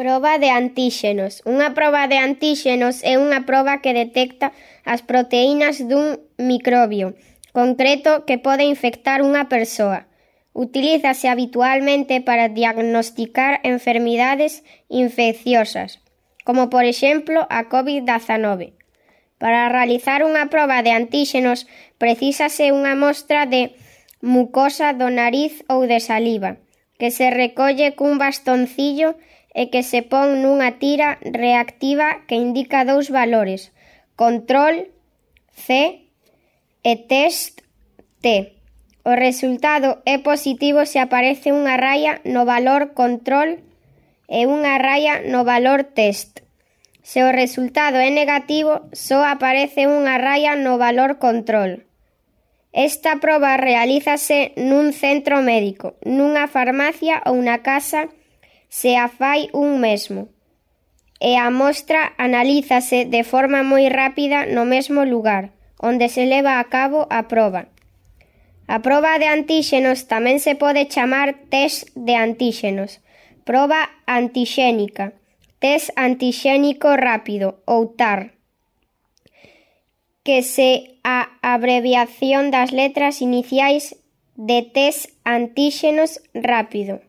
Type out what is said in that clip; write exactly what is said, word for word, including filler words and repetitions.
Proba de antíxenos. Unha proba de antíxenos é unha proba que detecta as proteínas dun microbio concreto que pode infectar unha persoa. Utilízase habitualmente para diagnosticar enfermidades infecciosas, como por exemplo a covid dezanove. Para realizar unha proba de antíxenos precísase unha mostra de mucosa do nariz ou de saliva, que se recolle cun bastoncillo e que se pon nunha tira reactiva que indica dous valores, control C e test T. O resultado é positivo se aparece unha raia no valor control e unha raia no valor test. Se o resultado é negativo, só aparece unha raia no valor control. Esta proba realízase nun centro médico, nunha farmacia ou na casa se a fai un mesmo, e a mostra analízase de forma moi rápida no mesmo lugar onde se leva a cabo a proba. A proba de antíxenos tamén se pode chamar test de antíxenos, proba antixénica, test antixénico rápido ou T A R, que se a abreviación das letras iniciais de test antíxenos rápido.